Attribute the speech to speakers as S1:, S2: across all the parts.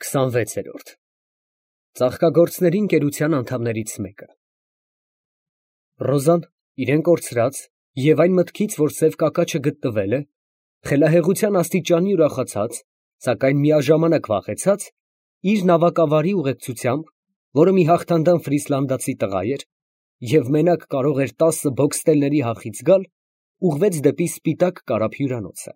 S1: 26-րդ Ծաղկագործների ընկերության անդամներից մեկը Ռոզան իրեն կորցրած և այն մտքից, որ սև կակաչը գտնվել է, խելահեղության աստիճանի ուրախացած, սակայն միաժամանակ վախեցած, իր նավակավարի ուղեկցությամբ, որը մի հաղթանդամ ֆրիսլանդացի տղա էր և մենակ կարող էր 10 բոքստելների հախից գալ, ուղղվեց դեպի սպիտակ կարապ հյուրանոցը։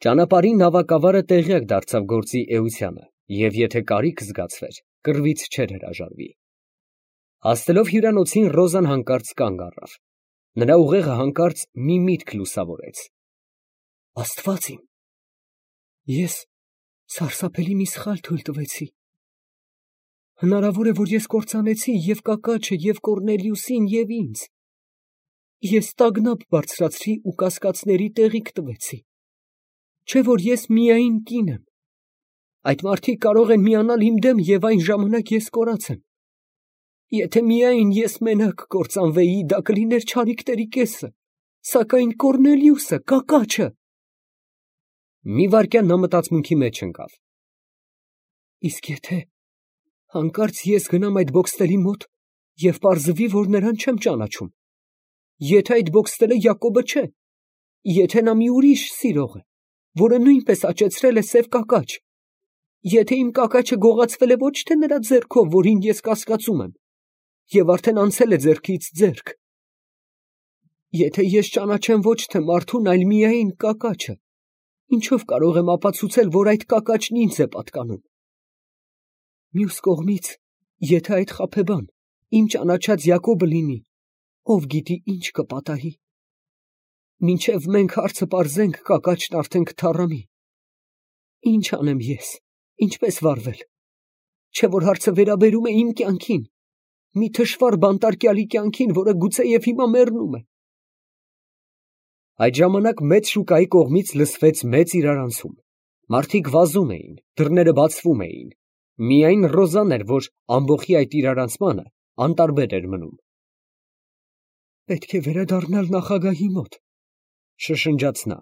S1: Ճանապարհին նավակավարը տեղյակ դարձավ գործի էությանը և եթե կարիք զգացվեր, կռվից չէր հրաժարվի։ Հասնելով հյուրանոցին, Ռոզան հանկարծ կանգ առավ։ Նրա ուղեղը հանկարծ մի միտք լուսավորեց։ Աստված իմ, ես սարսափելի մի սխալ թույլ տվեցի։ Հնարավոր է, որ ես կործանեցի և կակաչը, և Կոռնելիուսին, և ինձ։ Ես տագնապ բարձրացրի ու կասկածների տեղիք տվեցի։ Չէ՞ որ ես միայն կին եմ։ Այդ մարդիկ կարող են միանալ իմ դեմ և այն ժամանակ ես կորած եմ։ Եթե միայն ես մենակ կործանվեի, դա կլիներ չարիքների կեսը, սակայն Կոռնելիուսը, կակաչը… Մի վայրկյան նա մտածմունքի մեջ ընկավ։ Իսկ եթե հանկարծ ես գնամ այդ բոքստերի մոտ և պարզվի, որ նրան չեմ ճանաչում, եթե այդ բոքստելը Յակոբը չէ, եթե նա մի ուրիշ սիրող է, որը նույնպես աճեցրել է սև կակաչ, եթե իմ կակաչը գողացվել է ոչ թե նրա ձեռքով, որին ես կասկածում եմ, և արդեն անցել է ձեռքից ձեռք, եթե ես ճանաչեմ ոչ թե մարդուն, այլ միայն կակաչը, ինչով կարող եմ ապացուցել, որ այդ կակաչն ինձ է պատկանում։ Մյուս կողմից, եթե այդ խաբեբան իմ ճանաչած Յակոբը լինի, ով գիտի ինչ կպատահի։ Մինչև մենք հարցը պարզենք, կակաչն արդեն կթառամի։ Ինչ անեմ ես, ինչպես վարվել։ Չէ՞ որ հարցը վերաբերում է իմ կյանքին, մի թշվառ բանտարկյալի կյանքին, որը գուցեև հիմա մեռնում է։ Այդ ժամանակ մեծ շուկայի կողմից լսվեց մեծ իրարանցում։ Մարդիկ վազում էին, դռները բացվում էին։ Միայն Ռոզան էր, որ ամբոխի այդ իրարանցմանը անտարբեր էր մնում։ Պետք է վերադառնալ նախագահի մոտ, շշնջաց նա։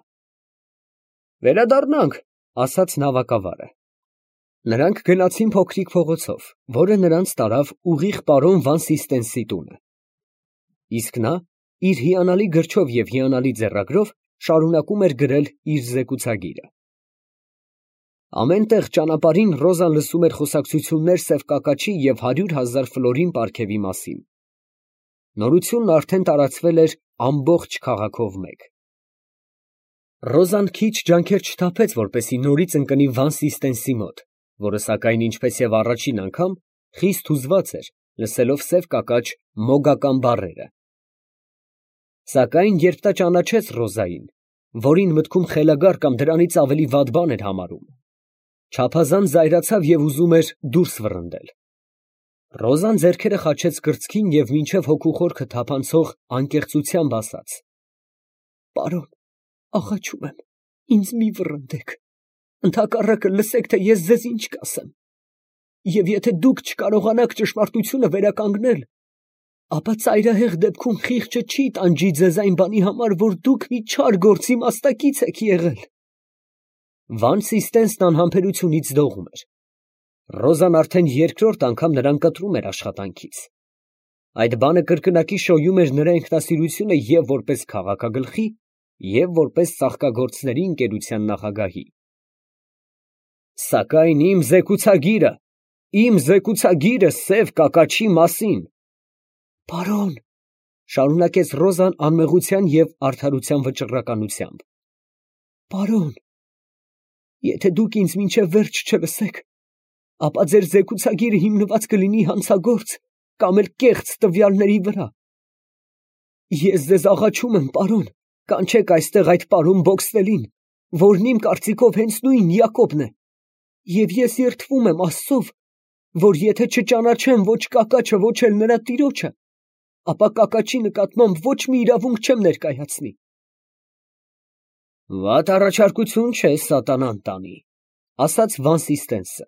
S1: Վերադառնանք, ասաց նավակավարը։ Նրանք գնացին փոքրիկ փողոցով, որը նրանց տարավ ուղիղ պարոն Վանսիստենսի տունը։ Իսկ նա իր հիանալի գրչով և հիանալի ձեռագրով շարունակում էր գրել իր զեկուցագիրը։ Ամեն տեղ ճանապարհին Ռոզան լսում էր խոսակցություններ սև կակաչի և 100,000 ֆլորին պարգևի մասին։ Նորությունն արդեն տարածվել էր ամբողջ քաղաքով մեկ։ Ռոզան քիչ ջանքեր չթափեց, որպեսզի նորից ընկնի Վանսիստենսի մոտ, որը սակայն ինչպես և առաջին անգամ, խիստ հուզված էր, լսելով սև կակաչ մոգական բառերը։ Սակայն երբ նա ճանաչեց Ռոզային, որին մտքում խելագար կամ դրանից ավելի վատ բան էր համարում, չափազանց զայրացավ և ուզում էր դուրս վռնդել։ Ռոզան ձեռքերը խաչեց կրծքին և մինչև հոգու խորքը թափանցող անկեղծությամբ ասաց. Պարոն, աղաչում եմ, ինձ մի վռնդեք, ընդհակառակը լսեք, թե ես ձեզ ինչ կասեմ, և եթե դուք չկարողանաք ճշմարտությունը վերականգնել, ապա ծայրահեղ դեպքում խիղճը չի տանջի ձեզ այն բանի համար, որ դուք մի չար գործի մասնակից եք եղել։ Վանսիստենսն անհամբերությունից դողում էր։ Ռոզան արդեն երկրորդ անգամ նրան կտրում էր աշխատանքից։ Այդ բանը կրկնակի շոյում էր նրա ինքնասիրությունը և որպես քաղաքագլխի, և որպես ծաղկագործների ընկերության նախագահի։ Սակայն իմ զեկուցագիրը սև կակաչի մասին… Պարոն, շարունակեց Ռոզան անմեղության և արդարության վճռականությամբ, պարոն, եթե դուք ինձ մինչև վերջ չլսեք, ապա ձեր զեկուցագիրը հիմնված կլինի հանցագործ կամ էլ կեղծ տվյալների վրա։ Ես ձեզ աղաչում եմ, պարոն, կանչեք այստեղ այդ պարոն Բոքստելին, որն իմ կարծիքով հենց նույն Յակոբն է, և ես երդվում եմ Աստծով, որ եթե չճանաչեմ ոչ կակաչը, ոչ էլ նրա տիրոջը, ապա կակաչի նկատմամբ ոչ մի իրավունք չեմ ներկայացնի։ Վատ առաջարկություն չէ սատանան տանի, ասաց Վանսիստենսը։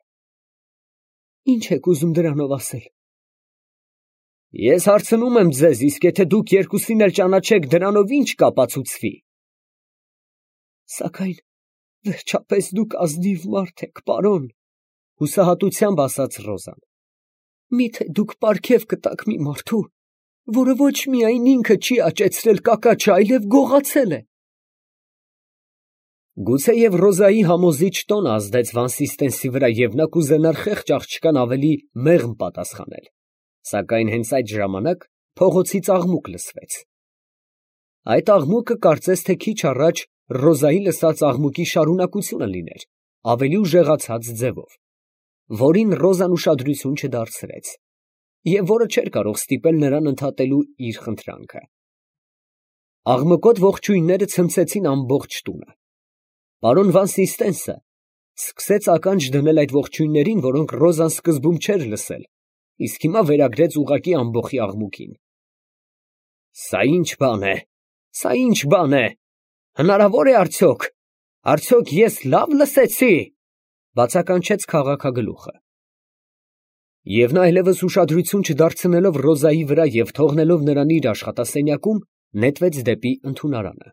S1: Ինչ եք ուզում դրանով ասել։ Ես հարցնում եմ ձեզ, իսկ եթե դուք երկուսին էլ ճանաչեք, դրանով ինչ կապացուցվի։ Սակայն վերջապես դուք ազնիվ մարդ եք, պարոն, Հուսահատությամբ ասաց Ռոզան։ Միթե դուք պարգև կտաք մի մարդու, որը ոչ միայն ինքը չի աճեցրել կակաչը, այլև գողացել է։ Գուցեև Ռոզայի համոզիչ տոնը ազդեց Վանսիստենսի վրա, և նա կուզենար խեղճ աղջկան ավելի մեղմ պատասխանել, սակայն հենց այդ ժամանակ փողոցից աղմուկ լսվեց։ Այդ աղմուկը կարծես թե քիչ առաջ Ռոզայի լսած աղմուկի շարունակությունը լիներ, ավելի ուժեղացած ձևով, որին Ռոզան ուշադրություն չդարձրեց, և որը չէր կարող ստիպել նրան ընդհատելու իր խնդրանքը։ Աղմկոտ ողջույնները ցնցեցին ամբողջ տունը։ Պարոն Վանսիստենսը սկսեց ականջ դնել այդ ողջույններին, որոնք Ռոզան սկզբում չէր լսել, իսկ հիմա վերագրեց ուղղակի ամբոխի աղմուկին։ Սա ի՞նչ բան է, սա ի՞նչ բան է, հնարավոր է արդյոք, արդյոք ես լավ լսեցի, բացականչեց քաղաքագլուխը։ Եվ նա այլևս ուշադրություն չդարձնելով Ռոզայի վրա և թողնելով նրան իր աշխատասենյակում, նետվեց դեպի ընդունարանը։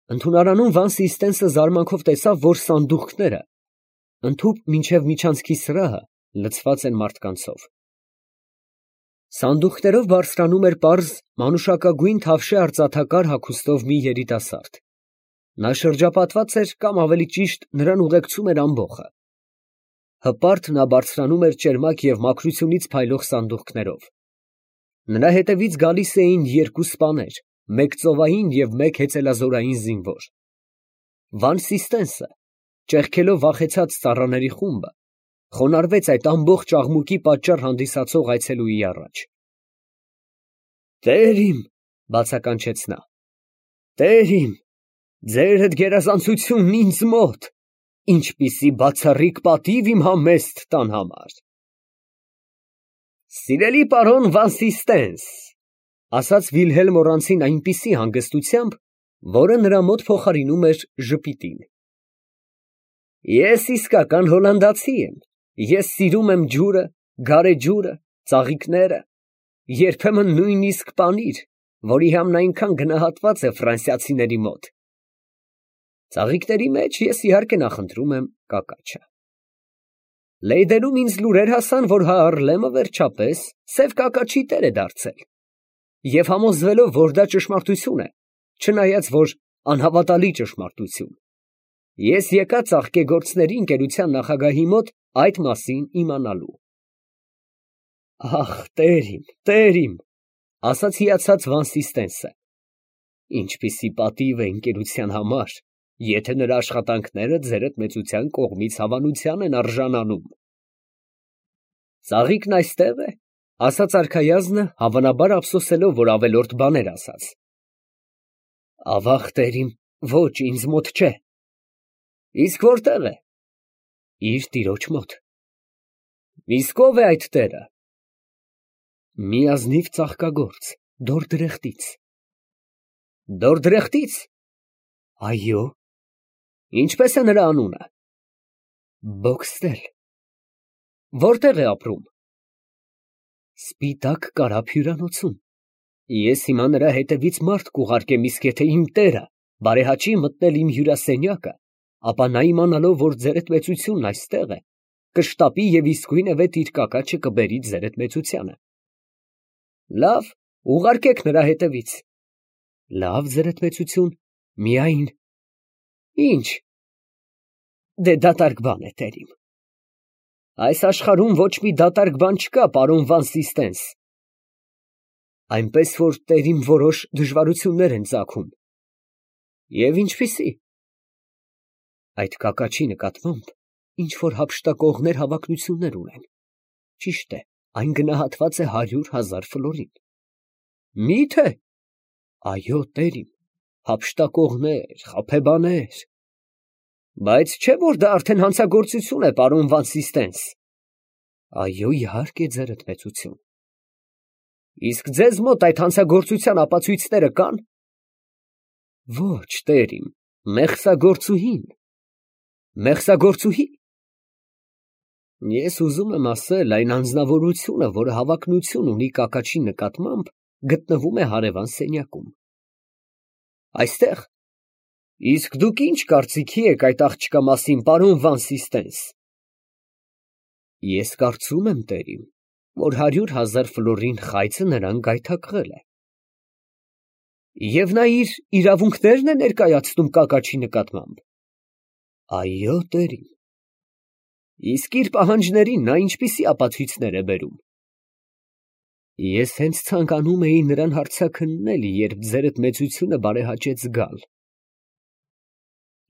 S1: Ընդունարանում Վանսիստենսը զարմանքով տեսավ, որ սանդուղքները, ընդհուպ մինչև միջանցքի սրահը, լցված են մարդկանցով։ Սանդուղքներով բարձրանում էր պարզ մանուշակագույն թավշե արծաթակար հագուստով մի երիտասարդ։ Նա շրջապատված էր, կամ ավելի ճիշտ, նրան ուղեկցում էր ամբոխը։ Հպարտ նա բարձրանում էր ճերմակ և մաքրությունից փայլող սանդուղքներով։ Նրա հետևից գալիս էին երկու սպաներ, մեկ ծովային և մեկ հեծելազորային զինվոր։ Վանսիստենսը, ճեղքելով վախեցած ծառաների խումբը, խոնարհվեց այդ ամբողջ աղմուկի պատճառ հանդիսացող այցելուի առաջ։ «Տեր իմ», բացականչեց նա, «Տեր իմ, ձեր հետ գերազանցությունն ինձ մոտ, ինչպիսի բացառիկ պատիվ իմ համեստ տան համար»։ «Սիրելի պարոն Վանսիստենս», ասաց Վիլհելմ Օրանցին այնպիսի հանգստությամբ, որը նրա մոտ փոխարինում էր ժպիտին, ես իսկական հոլանդացի եմ, ես սիրում եմ ջուրը, գարեջուրը, ծաղիկները, երբեմն նույնիսկ պանիր, որի համն այնքան գնահատված է ֆրանսիացիների մոտ։ Ծաղիկների մեջ ես իհարկե նախընտրում եմ կակաչը։ Լեյդենում ինձ լուրեր հասան, որ Հաառլեմը վերջապես սև կակաչի տեր է դարձել, և համոզվելով, որ դա ճշմարտություն է, չնայած որ անհավատալի ճշմարտություն, ես եկա ծաղկեգործների ընկերության նախագահի մոտ այդ մասին իմանալու։ Ախ, տեր իմ, ասաց հիացած Վանսիստենսը, ինչպիսի պատիվ է ընկերության համար, եթե նրա աշխատանքները ձերդ մեծության կողմից հավանության են արժանանում։ Ծաղիկն այստեղ է, ասաց արքայազնը, հավանաբար ափսոսելով, որ ավելորդ բաներ ասաց։ Ավաղ, տեր իմ, ոչ, ինձ մոտ չէ։ Իսկ որտեղ է։ Իր տիրոջ մոտ։ Իսկ ով է այդ տերը։ Մի ազնիվ ծաղկագործ, Դորդրեխտից։ Դորդրեխտից։ Այո։ Ինչպես է նրա անունը։ Բոքստել։ Որտեղ է ապրում։ Սպիտակ կարապ հյուրանոցում։ Ես հիմա նրա հետևից մարդ կուղարկեմ, իսկ եթե իմ տերը բարեհաճի մտնել իմ հյուրասենյակը, ապա նա իմանալով, որ ձերդ մեծությունն այստեղ է, կշտապի և իսկույնևեթ իր կակաչը կբերի ձերդ մեծությանը։ Լավ, ուղարկեք նրա հետևից։ Լավ, ձերդ մեծություն, միայն։ Ինչ։ Դե դատարկ բան է, տեր իմ։ Այս աշխարհում ոչ մի դատարկ բան չկա, պարոն Վանսիստենս։ Այնպես որ տեր իմ որոշ դժվարություններ են ծագում։ Եվ ինչպիսի։ Այդ կակաչի նկատմամբ ինչ որ հափշտակողներ հավակնություններ ունեն։ Ճիշտ է, այն գնահատված է 100,000 ֆլորին։ Մի՞թե։ Այո, տեր իմ, հափշտակողներ, խաբեբաներ։ Բայց չէ՞ որ դա արդեն հանցագործություն է, պարոն Վանսիստենս։ Այո, իհարկե, ձերդ մեծություն։ Իսկ ձեզ մոտ այդ հանցագործության ապացույցները կան։ Ոչ, տեր իմ, մեղսագործուհին։ Մեղսագործուհի։ Ես ուզում եմ ասել, այն անձնավորությունը, որը հավակնություն ունի կակաչի նկատմամբ, գտնվում է հարևան սենյակում։ Այստեղ։ Իսկ դուք ինչ կարծիքի եք այդ աղջկա մասին, պարոն Վանսիստենս։ Ես կարծում եմ, տերիմ, որ 100,000 ֆլորին խայծը նրան գայթակղել է։ Եվ նա իր իրավունքներն է ներկայացնում կակաչի նկատմամբ։ Այո, տերիմ։ Իսկ իր պահանջներին նա ինչպիսի ապացույցներ է բերում։ Ես հենց ցանկանում էի նրան հարցաքննել, երբ ձերդ մեծությունը բարեհաճեց գալ։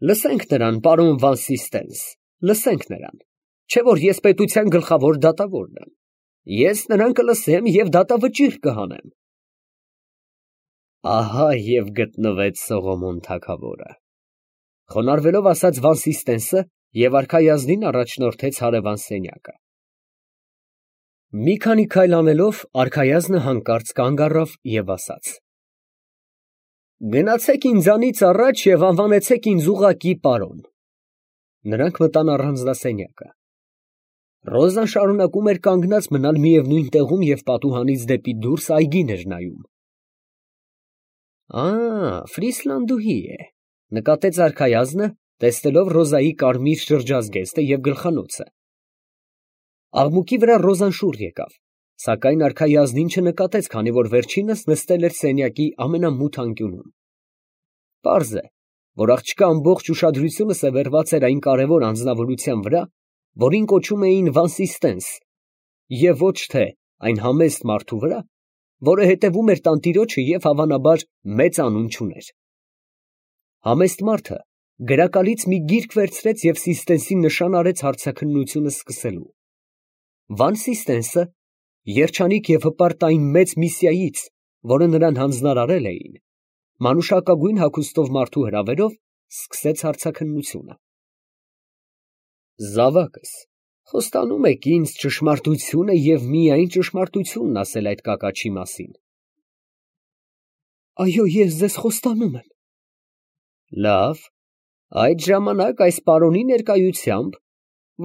S1: Լսենք նրան, պարոն Վան Սիստենս, լսենք նրան, չէ որ ես պետության գլխավոր դատավորն եմ։ Ես նրան կլսեմ և դատավճիռ կհանեմ։ Ահա և գտնվեց Սողոմոն թագավորը, խոնարհվելով ասաց Վան Սիստենսը և արքայազնին առաջնորդեց հարևան սենյակը։ Մի քանի քայլ անելով արքայազնը հանկարծ կանգ առավ և ասաց. Գնացեք ինձանից առաջ և անվանեցեք ինձ ուղղակի պարոն։ Նրանք մտան առանձնասենյակը։ Ռոզան շարունակում էր կանգնած մնալ միևնույն տեղում և պատուհանից դեպի դուրս այգին էր նայում։ Ֆրիսլանդուհի է, նկատեց արքայազնը, տեսնելով Ռոզայի կարմիր շրջազգեստը և գլխանոցը։ Աղմուկի վրա Ռոզան շուռ եկավ, սակայն արքայազնին չնկատեց, քանի որ վերջինս նստել էր սենյակի ամենամութ անկյունում։ Պարզ է, որ աղջկա ամբողջ ուշադրությունը սևեռված էր այն կարևոր անձնավորության վրա, որին կոչում էին Վան Սիստենս, և ոչ թե այն համեստ մարդու վրա, որը հետևում էր տանտիրոջը և հավանաբար մեծ անուն չուներ։ Համեստ մարդը գրակալից մի գիրք վերցրեց և Սիստենսին նշան արեց հարցաքննությունը սկսելու։ Վան Սիստենսը, երջանիկ և հպարտ այն մեծ միսիայից, որը նրան հանձնարարել էին, մանուշակագույն հագուստով մարդու հրավերով սկսեց հարցաքննությունը։ Զավակս, խոստանում եք ինձ ճշմարտությունը և միայն ճշմարտությունն ասել այդ կակաչի մասին։ Այո, ես ձեզ խոստանում եմ։ Լավ, այդ ժամանակ այս պարոնի ներկայությամբ,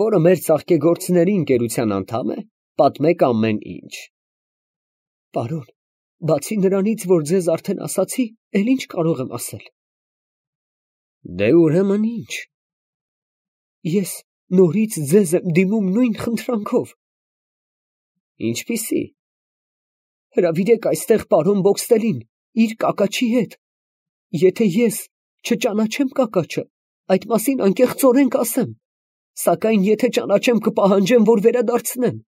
S1: որը մեր ծաղկեգործների ընկերության անդամ է, պատմեք ամեն ինչ։ Պարոն, բացի նրանից, որ ձեզ արդեն ասացի, էլ ինչ կարող եմ ասել։ Դե ուրեմն ինչ։ Ես նորից ձեզ եմ դիմում նույն խնդրանքով։ Ինչպիսի։ Հրավիրեք այստեղ պարոն Բոքստելին, իր կակաչի հետ։ Եթե ես չճանաչեմ կակաչը, այդ մասին անկեղծորեն կասեմ, սակայն եթե ճանաչեմ, կպահանջեմ, որ վերադարձնեմ։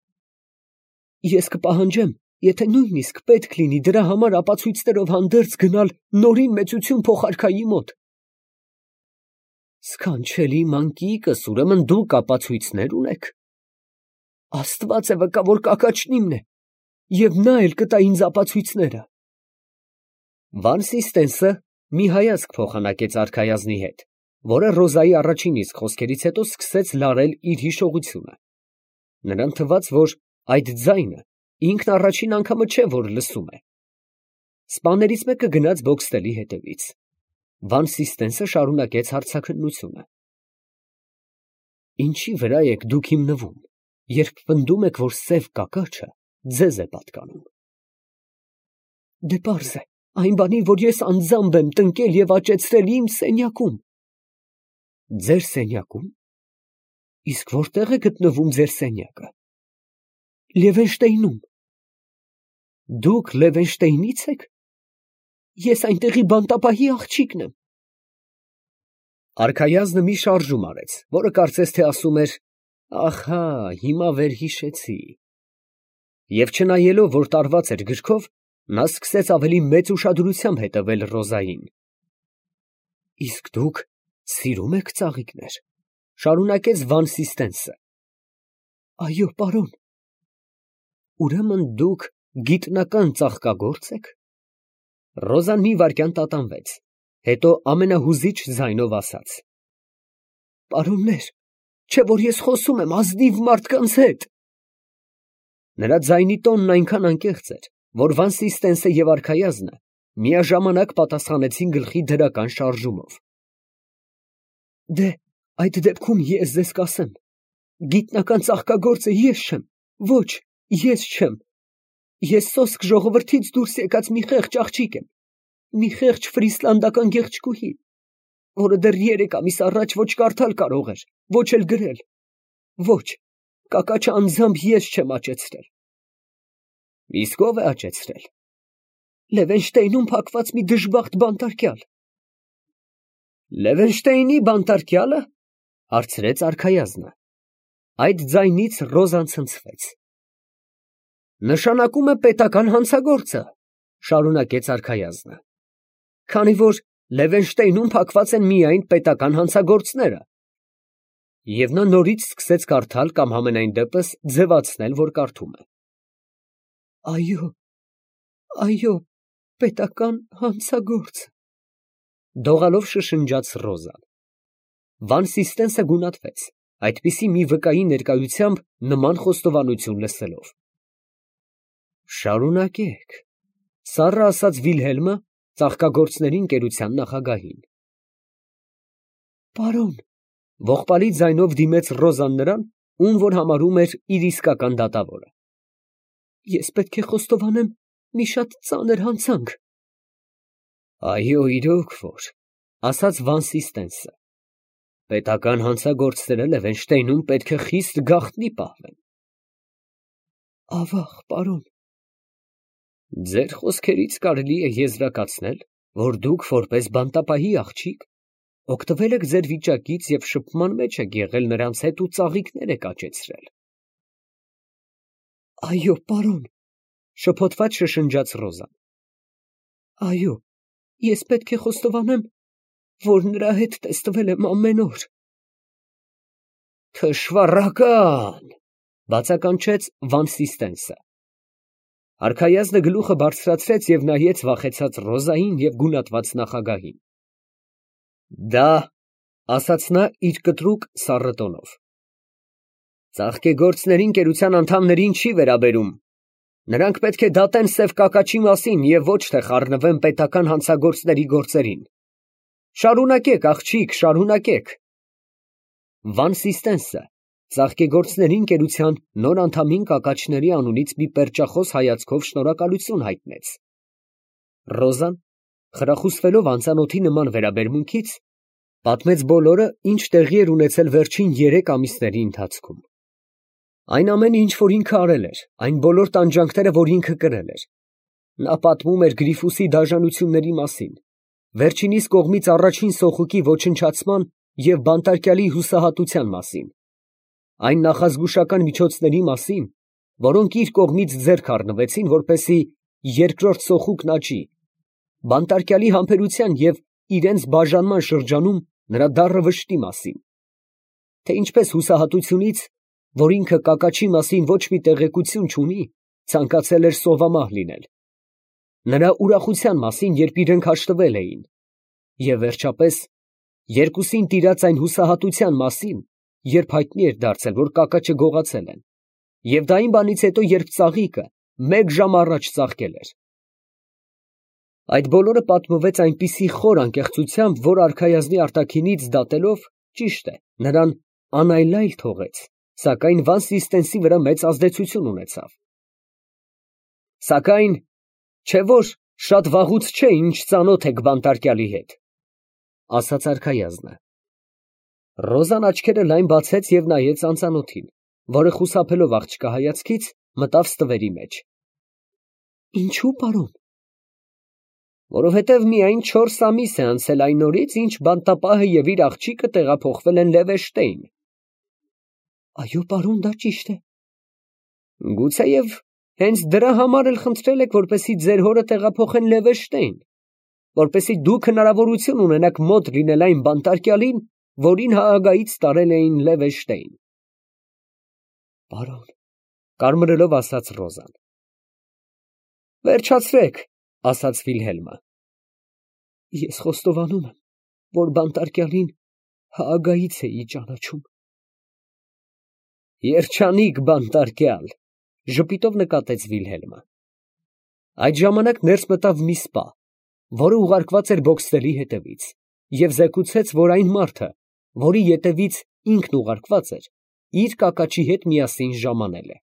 S1: Ես կպահանջեմ, եթե նույնիսկ պետք լինի դրա համար ապացույցներով հանդերձ գնալ Նորին մեծություն փոխարքայի մոտ։ Սքանչելի մանկիկս, ուրեմն դուք ապացույցներ ունեք։ Աստված է վկա, որ կակաչն իմն է, և նա էլ կտա ինձ ապացույցները։ Վան Սիստենսը մի հայացք փոխանակեց արքայազնի հետ, որը Ռոզայի առաջին իսկ խոսքերից հետո սկսեց լարել իր հիշողությունը։ Նրան թվաց, որ այդ ձայնը ինքն առաջին անգամը չէ, որ լսում է։ Սպաներից մեկը գնաց Բոքստելի հետևից։ Վան Սիստենսը շարունակեց հարցաքննությունը։ Ինչի վրա եք դուք հիմնվում, երբ պնդում եք, որ սև կակաչը ձեզ է պատկանում։ Դե պարզ է, այն բանի, որ ես անձամբ եմ տնկել և աճեցրել իմ սենյակում։ Ձեր սենյակում։ Իսկ որտեղ է գտնվում ձեր սենյակը։ Լևենշտեյնում։ Դուք Լևենշտեյնի՞ց եք։ Ես այնտեղի բանտապահի աղջիկն եմ։ Արքայազնը մի շարժում արեց, որը կարծես թե ասում էր. ահա, հիմա վերհիշեցի։ Եվ չնայելով, որ տարված էր գրքով, նա սկսեց ավելի մեծ ուշադրությամբ հետևել Ռոզային։ Իսկ դուք սիրում եք ծաղիկներ, շարունակեց Վան Սիստենսը։ Այո, պարոն։ Ուրեմն դուք գիտնական ծաղկագո՞րծ եք։ Ռոզան մի վայրկյան տատանվեց, հետո ամենահուզիչ ձայնով ասաց. Պարոններ, չէ որ ես խոսում եմ ազնիվ մարդկանց հետ։ Նրա ձայնի տոնն այնքան անկեղծ էր, որ Վան Սիստենսը և արքայազնը միաժամանակ պատասխանեցին գլխի դրական շարժումով։ Դե, այդ դեպքում ես ձեզ կասեմ, գիտնական ծաղկագործը ես չեմ, ոչ, ես չեմ։ Ես սոսկ ժողովրդից դուրս եկած մի խեղճ աղջիկ եմ, մի խեղճ ֆրիսլանդական գեղեցկուհի, որը դեռ 3 ամիս առաջ ոչ կարդալ կարող էր, ոչ էլ գրել։ Ոչ, Կակաչը անձամբ ես չեմ աճեցրել։ Իսկ ով է աճեցրել։ Լևենշտեյնում փակված մի դժբախտ բանտարկյալ։ Լևենշտեյնի բանտարկյալը, հարցրեց արքայազնը։ Այդ ձայնից Ռոզան ցնցվեց։ Նշանակում է պետական հանցագործը, շարունակեց արքայազնը, քանի որ Լևենշտեյնում փակված են միայն պետական հանցագործները։ Եվ նա նորից սկսեց կարդալ կամ համենայն դեպս ձևացնել, որ կարդում է։ Այո, պետական հանցագործը, դողալով շշնջաց Ռոզան։ Վան Սիստենսը գունատվեց, այդպիսի մի վկայի ներկայությամբ նման խոստովանություն լսելով։ Շարունակեք, սառը ասաց Վիլհելմը ծաղկագործների ընկերության նախագահին։ Պարոն, ողբալի ձայնով դիմեց Ռոզան նրան, ում որ համարում էր իր իսկական դատավորը։ Ես պետք է խոստովանեմ մի շատ ծանր հանցանք։ Այո, իրոք որ, ասաց Վան Սիստենսը։ Պետական հանցագործները Լևենշտեյնում պետք է խիստ գաղտնի պահվեն։ Ավաղ, պարոն։ Ձեր խոսքերից կարելի է եզրակացնել, որ դուք որպես բանտապահի աղջիկ օգտվել եք ձեր վիճակից և շփման մեջ եք եղել նրանց հետ ու ծաղիկներ եք աճեցրել։ Այո, պարոն, շփոթված շշնջաց Ռոզան։ Այո, ես պետք է խոստովանեմ, որ նրա հետ տեստվել եմ ամեն օր։ Թշվառական, բացականչեց Վան Սիստենսը։ Արքայազնը գլուխը բարձրացրեց և նայեց վախեցած Ռոզային և գունատված նախագահին։ Դա, ասաց նա իր կտրուկ սառը տոնով, ծաղկեգործների ընկերության անդամներին չի վերաբերում։ Նրանք պետք է դատեն սև կակաչի մասին և ոչ թե խառնվեն պետական հանցագործների գործերին։ Շարունակեք, աղջիկ, շարունակեք։ Վան Սիստենսը ծաղկեգործների ընկերության նոր անդամին կակաչների անունից մի պերճախոս հայացքով շնորհակալություն հայտնեց։ Ռոզան, խրախուսվելով անծանոթի նման վերաբերմունքից, պատմեց բոլորը, ինչ տեղի էր ունեցել վերջին 3 ամիսների ընթացքում։ Այն ամենը, ինչ որ ինքը արել էր, այն բոլոր տանջանքները, որ ինքը կրել էր։ Նա պատմում էր Գրիֆուսի դաժանությունների մասին, վերջինիս կողմից առաջին սոխուկի ոչնչացման և բանտարկյալի հուսահատության մասին, այն նախազգուշական միջոցների մասին, որոնք իր կողմից ձեռք առնվեցին, որպեսզի երկրորդ սոխուկն աճի, բանտարկյալի համբերության և իրենց բաժանման շրջանում նրա դառը վշտի մասին, թե ինչպես հուսահատությունից, որ ինքը կակաչի մասին ոչ մի տեղեկություն չունի, ցանկացել էր սովամահ լինել, նրա ուրախության մասին, երբ իրենք հաշտվել էին, և վերջապես երկուսին տիրած այն հուսահատության մասին, երբ հայտնի էր դարձել, որ կակաչը գողացել են, և դա այն բանից հետո, երբ ծաղիկը 1 ժամ առաջ ծաղկել էր։ Այդ բոլորը պատմվեց այնպիսի խոր անկեղծությամբ, որ արքայազնի արտաքինից դատելով, ճիշտ է, նրան անայլայլ թողեց, սակայն Վան Սիստենսի վրա մեծ ազդեցություն ունեցավ։ Սակայն, չէ՞ որ շատ վաղուց չէ, ինչ ծանոթ եք բանտարկյալի հետ, ասաց արքայազնը։ Ռոզան աչքերը լայն բացեց և նայեց անծանոթին, որը խուսափելով աղջկա հայացքից, մտավ ստվերի մեջ։ Ինչո՞ւ, պարոն։ Որովհետև միայն 4 ամիս է անցել այն օրից, ինչ բանտապահը և իր աղջիկը տեղափոխվել են Լևենշտեյն։ Այո, պարոն, դա ճիշտ է։ Գուցեև հենց դրա համար էլ խնդրել եք, որպեսզի ձեր հորը տեղափոխեն Լևենշտեյն, որպեսզի դուք հնարավորություն ունենաք մոտ լինել այն բանտարկյալին, որին Հաագայից տարել էին Լևենշտեյն։ Պարոն, կարմրելով ասաց Ռոզան։ Վերջացրեք, ասաց Վիլհելմը։ Ես խոստովանում եմ, որ բանտարկյալին Հաագայից էի ճանաչում։ Երջանիկ բանտարկյալ, ժպիտով նկատեց Վիլհելմը։ Այդ ժամանակ ներս մտավ մի սպա, որը ուղարկված էր բոքսերի հետևից, և զեկուցեց, որ այն մարդը, որի ետևից ինքն ուղարկված էր, իր կակաչի հետ միասին ժամանել է։